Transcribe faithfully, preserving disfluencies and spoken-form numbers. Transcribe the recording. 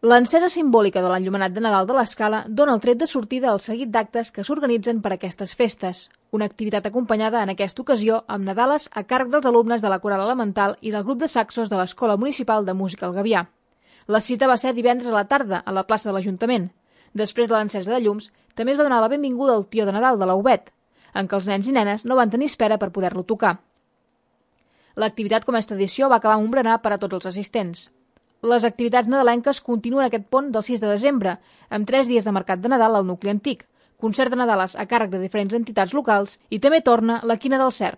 L'encesa simbòlica de l'enllumenat de Nadal de l'Escala dona el tret de sortida al seguit d'actes que s'organitzen per a aquestes festes, una activitat acompanyada en aquesta ocasió amb Nadales a càrrec dels alumnes de la Coral Elemental i del grup de saxos de l'Escola Municipal de Música El Gavià. La cita va ser divendres a la tarda a la plaça de l'Ajuntament. Després de l'encesa de llums, també es va donar la benvinguda al Tió de Nadal de l'Aubet, en què els nens i nenes no van tenir espera per poder-lo tocar. L'activitat, com és tradició, va acabar amb un berenar per a tots els assistents. Les activitats nadalenques continuen aquest pont del sis de desembre, amb tres dies de mercat de Nadal al nucli antic, concert de Nadales a càrrec de diferents entitats locals i també torna la Quina del Cer.